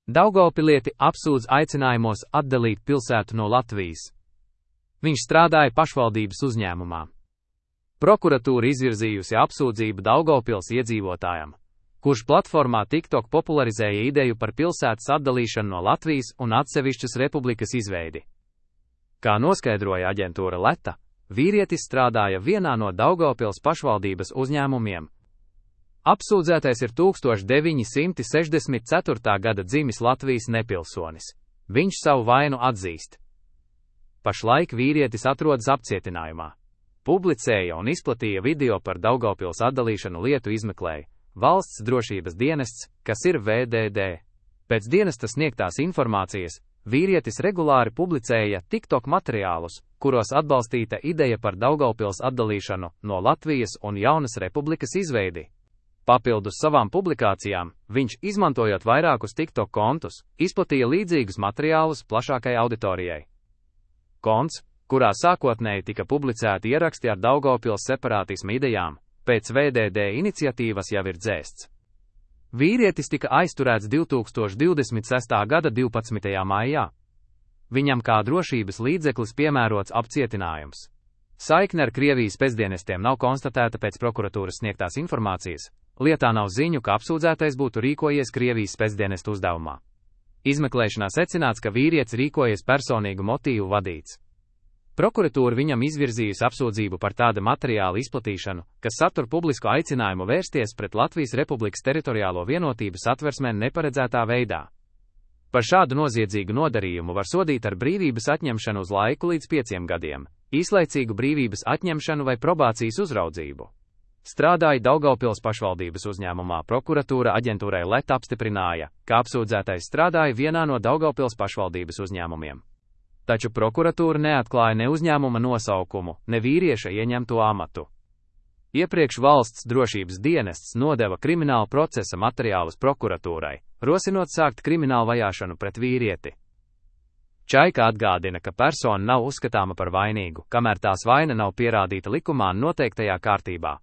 Daugavpilieti apsūdz aicinājumos atdalīt pilsētu no Latvijas. Viņš strādāja pašvaldības uzņēmumā. Prokuratūra izvirzījusi apsūdzību Daugavpils iedzīvotājam, kurš platformā TikTok popularizēja ideju par pilsētas atdalīšanu no Latvijas un atsevišķas republikas izveidi. Kā noskaidroja aģentūra Leta, vīrietis strādāja vienā no Daugavpils pašvaldības uzņēmumiem. Apsūdzētais ir 1964. gada dzimis Latvijas nepilsonis. Viņš savu vainu atzīst. Pašlaik vīrietis atrodas apcietinājumā. Publicēja un izplatīja video par Daugavpils atdalīšanu lietu izmeklēja Valsts drošības dienests, kas ir VDD. Pēc dienesta sniegtās informācijas, vīrietis regulāri publicēja TikTok materiālus, kuros atbalstīta ideja par Daugavpils atdalīšanu no Latvijas un jaunas republikas izveidi. Papildus savām publikācijām, viņš, izmantojot vairākus TikTok kontus, izplatīja līdzīgus materiālus plašākai auditorijai. Konts, kurā sākotnēji tika publicēti ieraksti ar Daugavpils separātisma idejām, pēc VDD iniciatīvas jau ir dzēsts. Vīrietis tika aizturēts 2026. gada 12. maijā. Viņam kā drošības līdzeklis piemērots apcietinājums. Saikne ar Krievijas spēcdienestiem nav konstatēta pēc prokuratūras sniegtās informācijas. Lietā nav ziņu, ka apsūdzētais būtu rīkojies Krievijas spēcdienestu uzdevumā. Izmeklēšanā secināts, ka vīrietis rīkojies personīgu motīvu vadīts. Prokuratūra viņam izvirzījusi apsūdzību par tāda materiāla izplatīšanu, kas satur publisku aicinājumu vērsties pret Latvijas Republikas teritoriālo vienotību Satversmē neparedzētā veidā. Par šādu noziedzīgu nodarījumu var sodīt ar brīvības atņemšanu uz laiku līdz 5 gadiem, īslaicīgu brīvības atņemšanu vai probācijas uzraudzību. Strādāja Daugavpils pašvaldības uzņēmumā. Prokuratūra aģentūrai Leta apstiprināja, ka apsūdzētais strādāja vienā no Daugavpils pašvaldības uzņēmumiem. Taču prokuratūra neatklāja ne uzņēmuma nosaukumu, ne vīrieša ieņemto amatu. Iepriekš Valsts drošības dienests nodeva krimināla procesa materiālus prokuratūrai, rosinot sākt kriminālu vajāšanu pret vīrieti. Čaika atgādina, ka persona nav uzskatāma par vainīgu, kamēr tās vaina nav pierādīta likumā noteiktajā kārtībā.